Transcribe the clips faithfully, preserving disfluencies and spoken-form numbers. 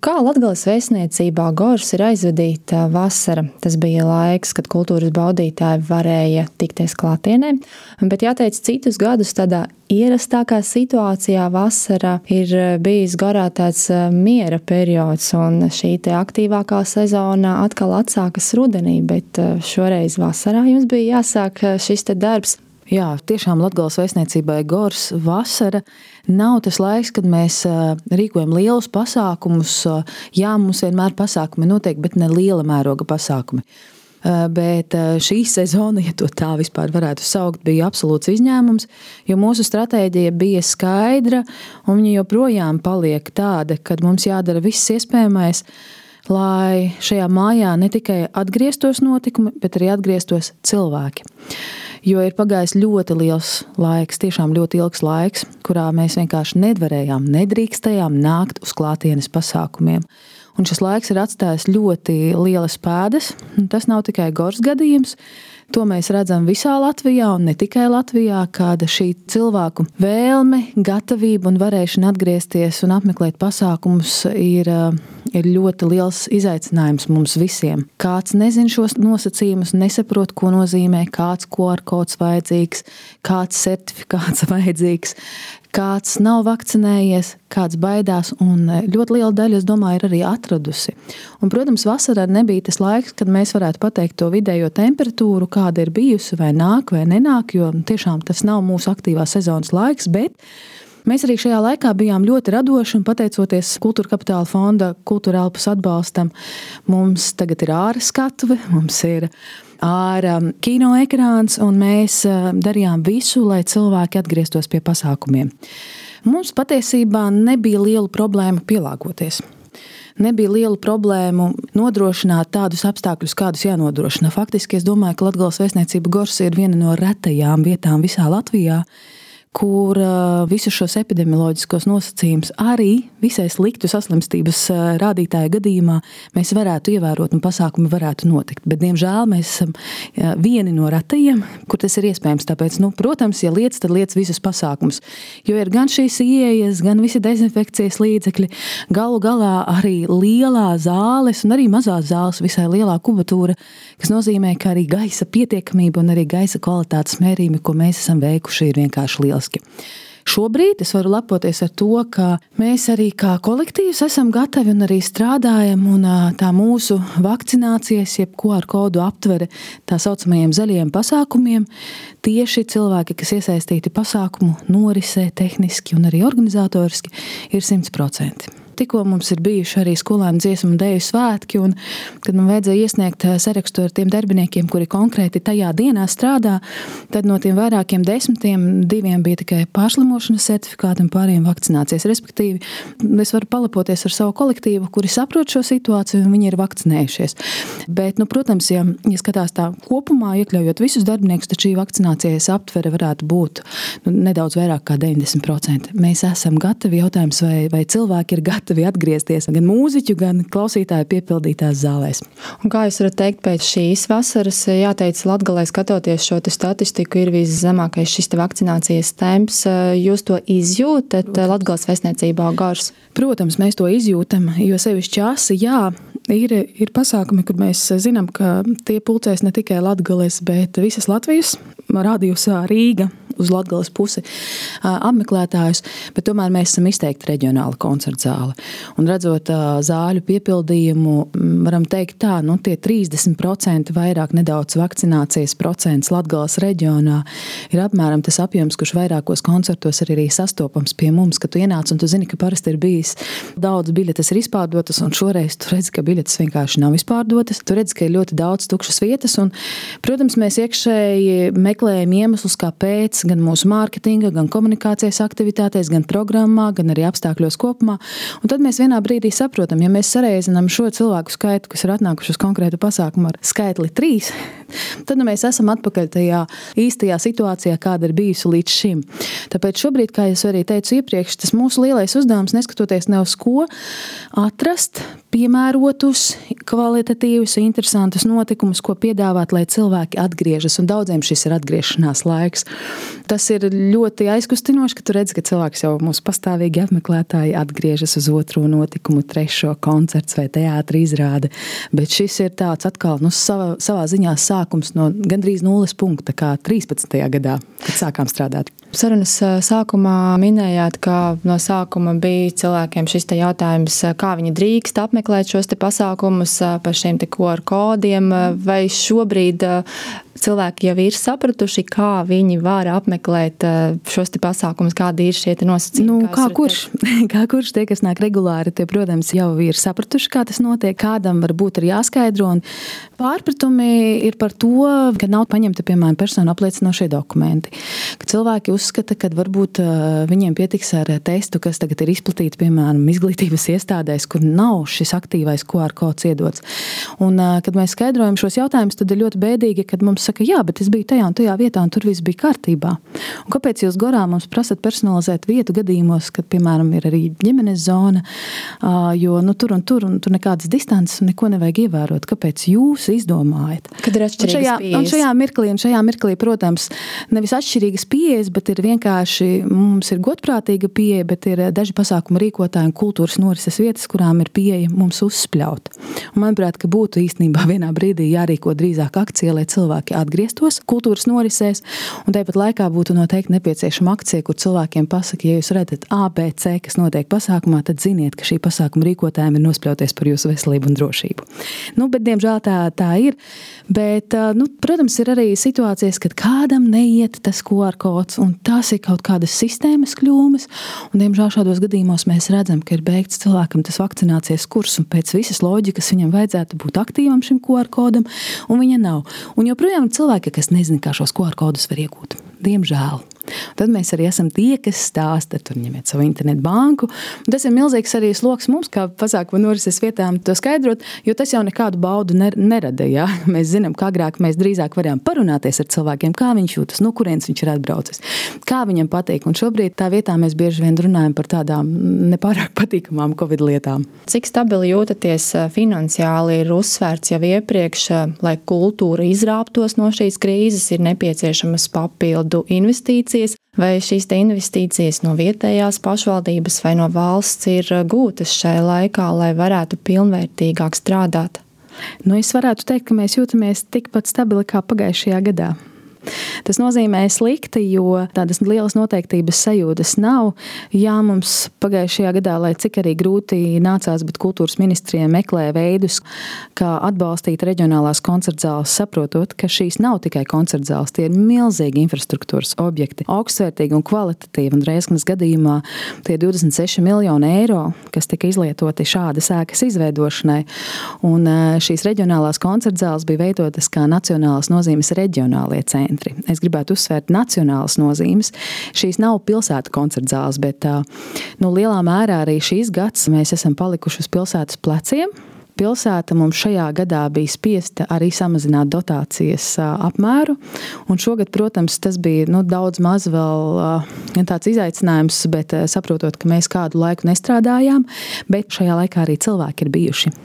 Kā Latgales vēstniecībā Gors ir aizvadīta vasara? Tas bija laiks, kad kultūras baudītāji varēja tikties klātienē, bet jāteic, citus gadus tādā ierastākā situācijā vasara ir bijis Gorā tāds miera periods, un šī te aktīvākā sezona atkal atsākas rudenī, bet šoreiz vasarā jums bija jāsāk šis te darbs. Jā, tiešām Latgales vēstniecībai Gors vasara nav tas laiks, kad mēs rīkojam lielus pasākumus. Jā, mums vienmēr pasākumi notiek, bet ne liela mēroga pasākumi. Bet šī sezona, ja to tā vispār varētu saukt, bija absolūts izņēmums, jo mūsu stratēģija bija skaidra, un viņa joprojām paliek tāda, kad mums jādara viss iespējamais, lai šajā mājā ne tikai atgrieztos notikumi, bet arī atgrieztos cilvēki. Jo ir pagājis ļoti liels laiks, tiešām ļoti ilgs laiks, kurā mēs vienkārši nevarējām, nedrīkstējām nākt uz klātienes pasākumiem. Un šis laiks ir atstājis ļoti lielas pēdas. Tas nav tikai Gors gadījums. To mēs redzam visā Latvijā un ne tikai Latvijā, kāda šī cilvēku vēlme, gatavība un varēšana atgriezties un apmeklēt pasākumus ir, ir ļoti liels izaicinājums mums visiem. Kāds nezin šos nosacījumus, nesaprot, ko nozīmē, kāds Q R kods vajadzīgs, kāds certifikāts vajadzīgs, kāds nav vakcinējies, kāds baidās, un ļoti liela daļa, es domāju, ir arī atradusi. Un, protams, vasarā nebija tas laiks, kad mēs varētu pateikt to vidējo temperatūru, kāda ir bijusi, vai nāk, vai nenāk, jo tiešām tas nav mūsu aktīvā sezonas laiks, bet mēs arī šajā laikā bijām ļoti radoši, un pateicoties Kultūra Kapitāla fonda Kultūra Elpas atbalstam, mums tagad ir āra skatuve, mums ir āra kino ekrāns, un mēs darījām visu, lai cilvēki atgrieztos pie pasākumiem. Mums patiesībā nebija liela problēma pielāgoties. Nebija liela problēmu nodrošināt tādus apstākļus, kādus jānodrošina. Faktiski es domāju, ka Latgales vēstniecība Gors ir viena no retajām vietām visā Latvijā, kur visus šos epidemioloģiskos nosacījumus arī visai sliktu saslimstības rādītāju gadījumā mēs varētu ievērot un pasākumi varētu notikt. Bet, diemžēl, mēs esam vieni no retajiem, kur tas ir iespējams. Tāpēc, nu, protams, ja liec, tad liec visus pasākumus. Jo ir gan šīs ieejas, gan visi dezinfekcijas līdzekļi, galu galā arī lielā zāles un arī mazās zāles, visai lielā kubatūra, kas nozīmē, ka arī gaisa pietiekamība un arī gaisa kvalitātes mērījumi, ko mēs esam veikuši, ir vienkārši liela. Šobrīd es varu lepoties ar to, ka mēs arī kā kolektīvs esam gatavi un arī strādājam, un tā mūsu vakcinācijas, jeb Q R kodu aptvere tā saucamajiem zaļajiem pasākumiem, tieši cilvēki, kas iesaistīti pasākumu norisē, tehniski un arī organizatoriski, ir simt procenti. Tikko mums ir bijuši arī skolēnu dziesmu un deju svētki, un kad man vajadzēja iesniegt sarakstu ar tiem darbiniekiem, kuri konkrēti tajā dienā strādā, tad no tiem vairākiem desmitiem diviem bija tikai pārslimošanas certifikāti un pārējiem vakcinācijas. Respektīvi, es varu palepoties ar savu kolektīvu, kuri saprot šo situāciju un viņi ir vakcinējušies. Bet, nu, protams, ja, ja skatās tā kopumā, iekļaujot visus darbiniekus, tad šī vakcinācijas aptvere varētu būt nu, nedaudz vairāk kā deviņdesmit procenti. Mēs esam gatavi, jautājums, vai, vai cilvēki ir gatavi atgriezties gan mūziķu, gan klausītāju piepildītās zālēs. Un kā jūs varat teikt, pēc šīs vasaras, jāteic, Latgalē skatoties šo te statistiku, ir viszemākais šis te vakcinācijas temps. Jūs to izjūtat Latgales vēstniecībā Gors? Protams, mēs to izjūtam, jo sevišķi asi, jā, ir, ir pasākumi, kur mēs zinām, ka tie pulcēs ne tikai Latgales, bet visas Latvijas, rādījusā Rīga, uz Latgales pusi apmeklētājus, bet tomēr mēs esam izteikti reģionāla koncerta zāle. Un redzot zāļu piepildījumu, varam teikt tā, nu tie trīsdesmit procenti vairāk nedaudz vakcinācijas procents Latgales reģionā ir apmēram tas apjoms, kurš vairākos koncertos ir arī sastopams pie mums, ka tu ienāc un tu zini, ka parasti ir bijis daudz biļetes ir izpārdotas, un šoreiz tu redzi, ka biļetes vienkārši nav izpārdotas. Tu redzi, ka ir ļoti daudz tukšas vietas, un, protams, mēs iekšēji meklējam iemeslus, kāpēc, gan mūsu mārketinga, gan komunikācijas aktivitātēs, gan programmā, gan arī apstākļos kopumā. Un tad mēs vienā brīdī saprotam, ja mēs sareizinām šo cilvēku skaitu, kas ir atnākuši uz konkrētu pasākumu ar skaitli trīs, tad nu, mēs esam atpakaļ tajā īstajā situācijā, kāda ir bijusi līdz šim. Tāpēc šobrīd, kā es arī teicu iepriekš, tas mūsu lielais uzdevums, neskatoties ne uz ko, atrast piemērotus, kvalitatīvus, interesantus notikumus, ko piedāvāt, lai cilvēki atgriežas, un daudziem šis ir atgriešanās laiks. Tas ir ļoti aizkustinoši, ka tu redzi, ka cilvēks jau mūsu pastāvīgi apmeklētāji atgriežas uz otro notikumu, trešo koncerts vai teātra izrāde, bet šis ir tāds atkal, nu, savā, savā ziņā sākums no gandrīz nulles punkta, kā trīspadsmitajā gadā, kad sākām strādāt. Sarunas sākumā minējāt, ka no sākuma bija cilvēkiem šis te jautājums, kā viņi drīkst apmeklēt šos te pasākumus par šiem te Q R kodiem, vai šobrīd cilvēki jau ir sapratuši, kā viņi var apmeklēt šos te pasākumus, kādi ir šie te nosacījumi? Nu, kā kurš, kā kurš tie, kas nāk regulāri, tie, protams, jau ir sapratuši, kā tas notiek, kādam varbūt ir jāskaidro, un pārpratumi ir par to, ka nav paņemta, piemēram, personu apliecinošie dokumenti, ka cilvēki uzskata, ka varbūt viņiem pietiks ar testu, kas tagad ir izplatīts, piemēram, izglītības iestādēs, kur nav šis aktīvais Q R kods iedots. Un, kad mēs skaidrojam šos jautājumus, tad ir ļoti bēdīgi, kad mums saka, jā, bet es biju tajā un tajā vietā, un tur viss bija kārtībā. Un kāpēc jūs gorā mums prasat personalizēt vietu gadījumos, kad, piemēram, ir arī ģimenes zona, jo nu, tur un tur, un tur nekādas distances un neko nevajag ievērot. Kāpēc jūs izdomājat? Kad ir atšķirīgas šajā, pieejas. Un šajā mirklī, un šajā mirklī, protams, nevis atšķirīgas pieejas, bet ir vienkārši, mums ir godprātīga pieeja, bet ir daži pasākumu rīkotāji un kultūras norises vietas, kurām ir pieeja mums uzspļaut. Un manuprāt, ka būtu īstenībā vienā brīdī jārīko drīzāk akcija, lai cilvēki atgrieztos kultūras norisēs, un tāpat laikā būtu noteikti nepieciešama akcija, kur cilvēkiem pasaka, ja jūs redzat A, B, C, kas notiek pasākumā, tad ziniet, ka šī pasākuma rīkotājiem ir nospļauties par jūsu veselību un drošību. Nu, bet, diemžēl, tā, tā ir. Bet, nu, protams, ir arī situācijas, kad kādam neiet tas Q R kods, un tas ir kaut kādas sistēmas kļūmes, un, diemžēl, šādos gadījumos mēs redzam, ka ir beigts cilvēkam tas vakcinācijas kurs, un pēc visas loģikas viņam vajadzētu būt aktīvam šim Q R kodam, un viņa nav. Un joprojām cilvēki, kas nezina, kā šos Q R kodus var iegūt. Diemžēl. Tad mēs arī esam tie, kas stāsta, tur ņemiet savu internetu banku. Un tas ir milzīgs arī sloks mums, kā pasākumu norises vietām, to skaidrot, jo tas jau nekādu baudu nerada. Ja? Mēs zinām, kā agrāk mēs drīzāk varējām parunāties ar cilvēkiem, kā viņš jūtas, no kurienes viņš ir atbraucis, kā viņam patīk. Un šobrīd tā vietā mēs bieži vien runājam par tādām nepārāk patīkamām Covid lietām. Cik stabili jūtaties finansiāli ir uzsvērts jau iepriekš, lai kultūra izrāptos no šīs krīzes, ir nepieciešamas papildu investīcijas, vai šīs te investīcijas no vietējās pašvaldības vai no valsts ir gūtas šai laikā, lai varētu pilnvērtīgāk strādāt? Nu, es varētu teikt, ka mēs jūtamies tikpat stabili kā pagājušajā gadā. Tas nozīmē slikti, jo tādas lielas noteiktības sajūtas nav. Jā, mums pagājušajā gadā, lai cik arī grūti nācās, bet kultūras ministrijai meklē veidus, kā atbalstīt reģionālās koncertzāles, saprotot, ka šīs nav tikai koncertzāles, tie ir milzīgi infrastruktūras objekti, augstsvērtīgi un kvalitatīvi, un Reizeknas gadījumā tie divdesmit seši miljoni eiro, kas tika izlietoti šādas ēkas izveidošanai, un šīs reģionālās koncertzāles bija veidotas kā nacionālas nozīmes reģionālie centri. Es gribētu uzsvērt nacionālas nozīmes. Šīs nav pilsētu koncertzāles, bet nu, lielā mērā arī šīs gads mēs esam palikuši uz pilsētas pleciem. Pilsēta mums šajā gadā bija spiesta arī samazināt dotācijas apmēru, un šogad, protams, tas bija nu, daudz maz vēl tāds izaicinājums, bet saprotot, ka mēs kādu laiku nestrādājām, bet šajā laikā arī cilvēki ir bijuši.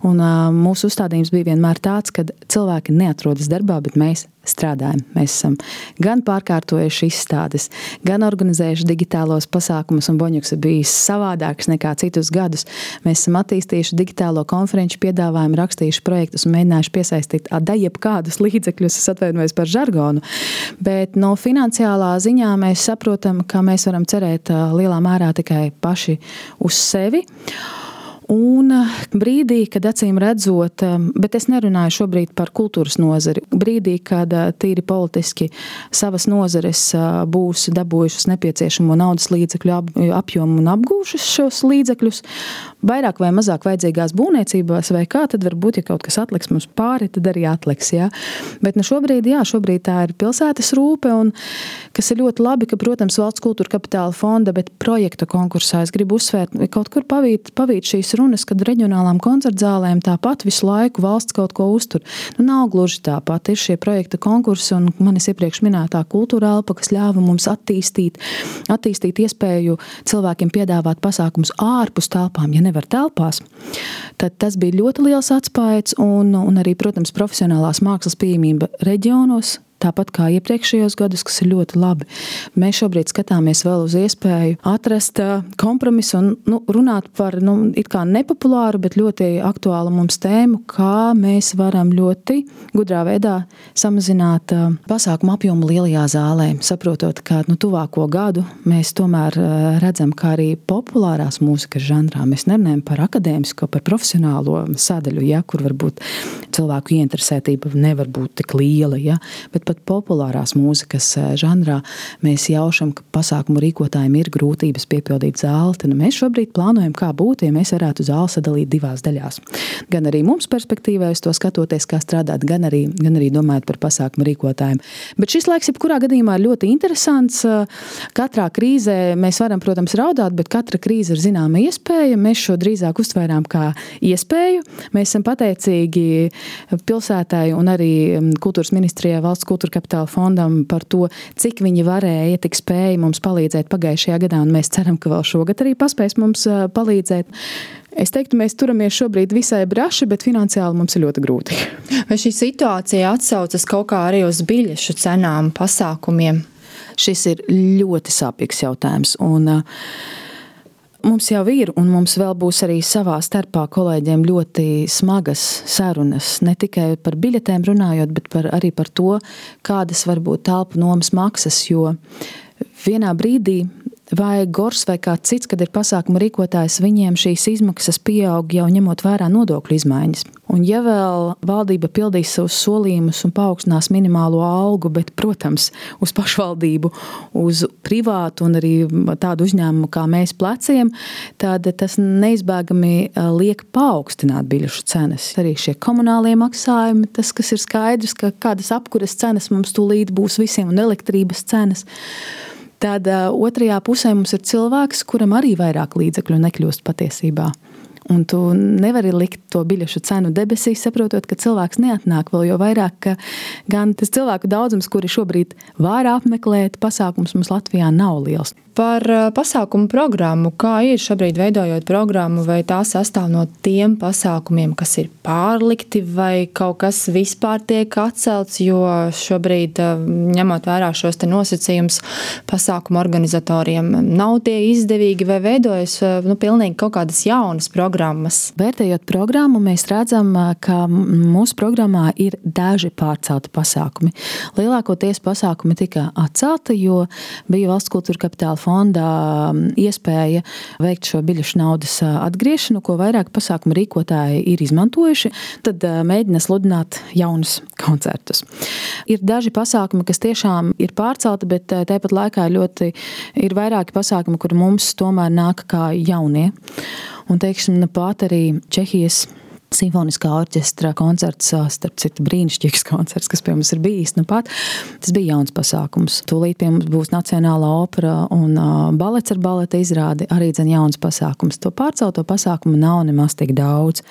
Un mūsu uzstādījums bija vienmēr tāds, ka cilvēki neatrodas darbā, bet mēs strādājam. Mēs esam gan pārkārtojuši izstādes, gan organizējuši digitālos pasākumus, un Boņuks ir bijis savādāks nekā citus gadus. Mēs esam attīstījuši digitālo konferenču piedāvājumu, rakstījuši projektus un mēģinājuši piesaistīt adajeb kādus līdzekļus, es atvainojos par žargonu, bet no finansiālā ziņā mēs saprotam, ka mēs varam cerēt lielā mērā tikai paši uz sevi. Un brīdī, kad acīm redzot, bet es nerunāju šobrīd par kultūras nozari, brīdī, kad tīri politiski savas nozares būs dabūjušas nepieciešamo naudas līdzekļu apjomu un apgūšas šos līdzekļus, vairāk vai mazāk vajadzīgās būvniecībās vai kā, tad varbūt, ja kaut kas atliks mums pāri, tad arī atliks, jā. Bet nu šobrīd, jā, šobrīd tā ir pilsētas rūpe, un kas ir ļoti labi, ka, protams, Valsts kultūra kapitāla fonda, bet projektu konkursā es gribu uzsvērt, kaut kur pavīt, pavīt šīs runas, kad reģionālām koncertzālēm tāpat visu laiku valsts kaut ko uztur. Nu, nav gluži tāpat. Ir šie projekta konkursi un manis iepriekš minētā kultūra elpa, kas ļāva mums attīstīt, attīstīt iespēju cilvēkiem piedāvāt pasākumus ārpus telpām, ja nevar telpās. Tad tas bija ļoti liels atspaids un, un arī, protams, profesionālās mākslas pieejamība reģionos, tāpat kā iepriekšējos gadus, kas ir ļoti labi. Mēs šobrīd skatāmies vēl uz iespēju atrast kompromisu un nu, runāt par nu, it kā nepopulāru, bet ļoti aktuālu mums tēmu, kā mēs varam ļoti gudrā veidā samazināt pasākumu apjomu lielajā zālē, saprotot, ka nu, tuvāko gadu mēs tomēr redzam, kā arī populārās mūzikas žanrā. Mēs nerunājam par akadēmisko, par profesionālo sadaļu, ja, kur varbūt cilvēku ieinteresētība nevar būt tik liela, ja, bet pat populārās mūzikas žanrā mēs jaušam, ka pasākumu rīkotājiem ir grūtības piepildīt zāli, tad mēs šobrīd plānojam, kā būtu, ja mēs varētu zāli sadalīt divās daļās. Gan arī mums perspektīvā uz to skatoties, kā strādāt, gan arī, gan arī domājot par pasākumu rīkotājiem. Bet šis laiks, jebkurā gadījumā, ir ļoti interesants. Katrā krīzē mēs varam, protams, raudāt, bet katra krīze ir zināma iespēja. Mēs šo drīzāk uztvērām kā iespēju. Mēs esam pateicīgi pilsētai un arī kultūras ministrijai, valsts kultūras kapitāla fondam par to, cik viņi varēja, tik spēja mums palīdzēt pagājušajā gadā, un mēs ceram, ka vēl šogad arī paspēs mums palīdzēt. Es teiktu, mēs turamies šobrīd visai braši, bet finansiāli mums ir ļoti grūti. Vai šī situācija atsaucas kaut kā arī uz biļešu cenām, pasākumiem? Šis ir ļoti sāpīgs jautājums, un mums jau ir, un mums vēl būs arī savā starpā kolēģiem ļoti smagas sarunas, ne tikai par biļetēm runājot, bet par, arī par to, kādas var būt telpu nomas maksas, jo vienā brīdī vai Gors vai kāds cits, kad ir pasākuma rīkotājs, viņiem šīs izmaksas pieaug jau ņemot vērā nodokļu izmaiņas. Un ja vēl valdība pildīs savus solījumus un paaugstinās minimālo algu, bet, protams, uz pašvaldību, uz privātu un arī tādu uzņēmumu kā mēs pleciem, tad tas neizbēgami liek paaugstināt biļešu cenas. Arī šie komunālie maksājumi, tas, kas ir skaidrs, ka kādas apkuras cenas mums tūlīt būs visiem un elektrības cenas. Tad uh, otrajā pusē mums ir cilvēks, kuram arī vairāk līdzekļu nekļūst patiesībā. Un tu nevari likt to biļešu cenu debesīs, saprotot, ka cilvēks neatnāk vēl, jo vairāk, ka gan tas cilvēku daudzums, kuri šobrīd var apmeklēt pasākums, mums Latvijā nav liels. Par pasākumu programmu, kā ir šobrīd veidojot programmu, vai tā sastāv no tiem pasākumiem, kas ir pārlikti, vai kaut kas vispār tiek atcelts, jo šobrīd, ņemot vērā šos te nosacījumus, pasākumu organizatoriem nav tie izdevīgi, vai veidojas nu, pilnīgi kaut kādas jaunas programmas? Vērtējot programmu, mēs redzam, ka mūsu programmā ir daži pārcelti pasākumi. Lielākoties pasākumi tika atcelti, jo bija Valsts kultūra kapitāla fondā iespēja veikt šo biļešu naudas atgriešanu, ko vairāk pasākumu rīkotāji ir izmantojuši, tad mēģina sludināt jaunus koncertus. Ir daži pasākumi, kas tiešām ir pārcelti, bet tāpat laikā ļoti ir vairāki pasākumi, kur mums tomēr nāk kā jaunie. Un, teiksim, pat arī Čehijas simfoniskā orķestra koncerts, starp citu brīnišķīgs koncerts, kas pie mums ir bijis, nu pat, tas bija jauns pasākums. Tūlīt pie mums būs Nacionālā opera un balets ar baleta izrādi, arī dzen jauns pasākums. To pārcelto pasākumu nav nemaz tik daudz.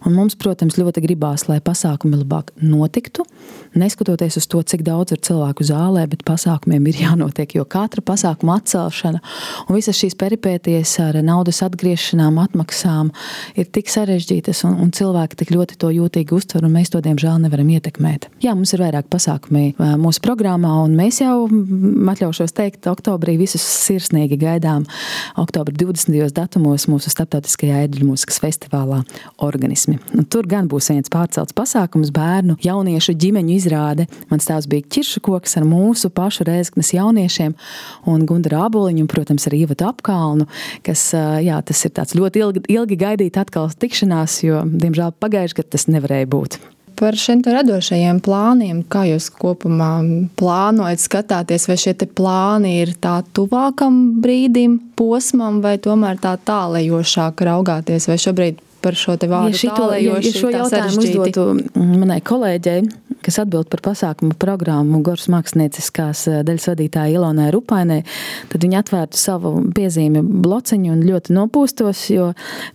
Un mums, protams, ļoti gribās, lai pasākumi labāk notiktu, neskatoties uz to, cik daudz ir cilvēku zālē, bet pasākumiem ir jānotiek, jo katra pasākuma atcelšana un visas šīs peripēties ar naudas atgriešanām, atmaksām ir tik sarežģītas un, un cilvēki tik ļoti to jūtīgi uztver, un mēs to, diemžēl, nevaram ietekmēt. Jā, mums ir vairāk pasākumi mūsu programmā, un mēs jau, atļaušos teikt, oktobrī visus sirsnīgi gaidām oktobra divdesmitajos datumos mūsu starptautiskajā ērģeļu mūzikas festivālā Organismi. Un tur gan būs viens pārcelts pasākums, bērnu, jauniešu ģimeņu izrāde. Mans tēvs bija ķiršakoks ar mūsu pašu Rēzeknes jauniešiem un Gundaru Āboliņu un, protams, ar Ivatu Apkalnu, kas, jā, tas ir tāds ļoti ilgi, ilgi gaidīt atkal tikšanās, jo, diemžēl, pagājuši gadu tas nevarēja būt. Par šiem radošajiem plāniem, kā jūs kopumā plānojat skatāties, vai šie te plāni ir tā tuvākam brīdim, posmam, vai tomēr tā tālējošāk raugāties, vai šobrīd par šo te vārdu ja šito, tālējoši ja šo jautājumu uzdotu manai kolēģei, kas atbild par pasākumu programmu Goras mākslinieckās daļas vadītāja Ilonai Rupainai, tad viņi atvērtu savu piezīmi blociņu un ļoti nopūstos, jo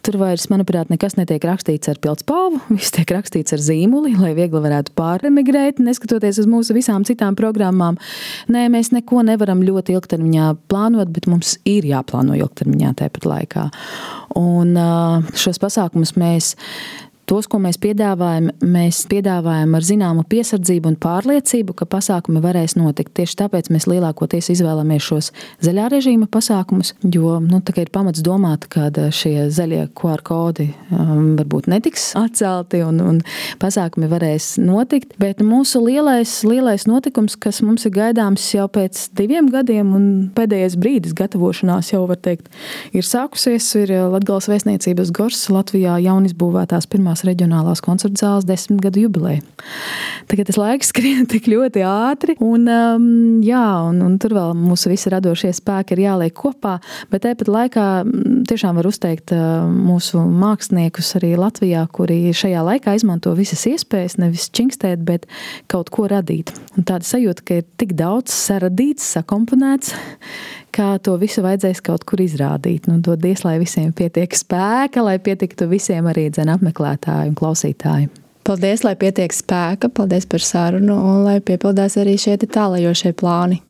tur vairs, manuprāt, nekas netiek rakstīts ar pildspalvu, viss tiek rakstīts ar zīmuli, lai viegli varētu pāremigrēt, neskatoties uz mūsu visām citām programmām. Nē, mēs neko nevaram ļoti ilgtermiņā plānot, bet mums ir jāplāno ilgtermiņā tāpat laikā. Un šos pasākumus mēs, tos, ko mēs piedāvājam, mēs piedāvājam ar zināmu piesardzību un pārliecību, ka pasākumi varēs notikt. Tieši tāpēc mēs lielākoties izvēlamies šos zaļā režīma pasākumus, jo nu, tā kā ir pamats domāt, ka šie zaļie Q R kodi um, varbūt netiks atcelti un, un pasākumi varēs notikt. Bet mūsu lielais, lielais notikums, kas mums ir gaidāms jau pēc diviem gadiem un pēdējais brīdis gatavošanās jau, var teikt, ir sākusies, ir Latgales vēstniecības Goras Latvijā jaunizbūvētās pirmās reģionālās koncerta zāles desmit gadu jubileja. Tagad tas laiks skrien tik ļoti ātri, un, um, jā, un, un tur vēl mūsu visi radošie spēki ir jāliek kopā, bet tāpat laikā tiešām var uzteikt uh, mūsu māksliniekus arī Latvijā, kuri šajā laikā izmanto visas iespējas, nevis čingstēt, bet kaut ko radīt. Un tāda sajūta, ka ir tik daudz saradīts, sakomponēts, kā to visu vajadzēs kaut kur izrādīt. Nu, dodies, lai visiem pietiek spēka, lai pietiktu visiem arī dzen apmeklētāji un klausītāji. Paldies, lai pietiek spēka, paldies par sarunu un lai piepildās arī šie tālajošie plāni.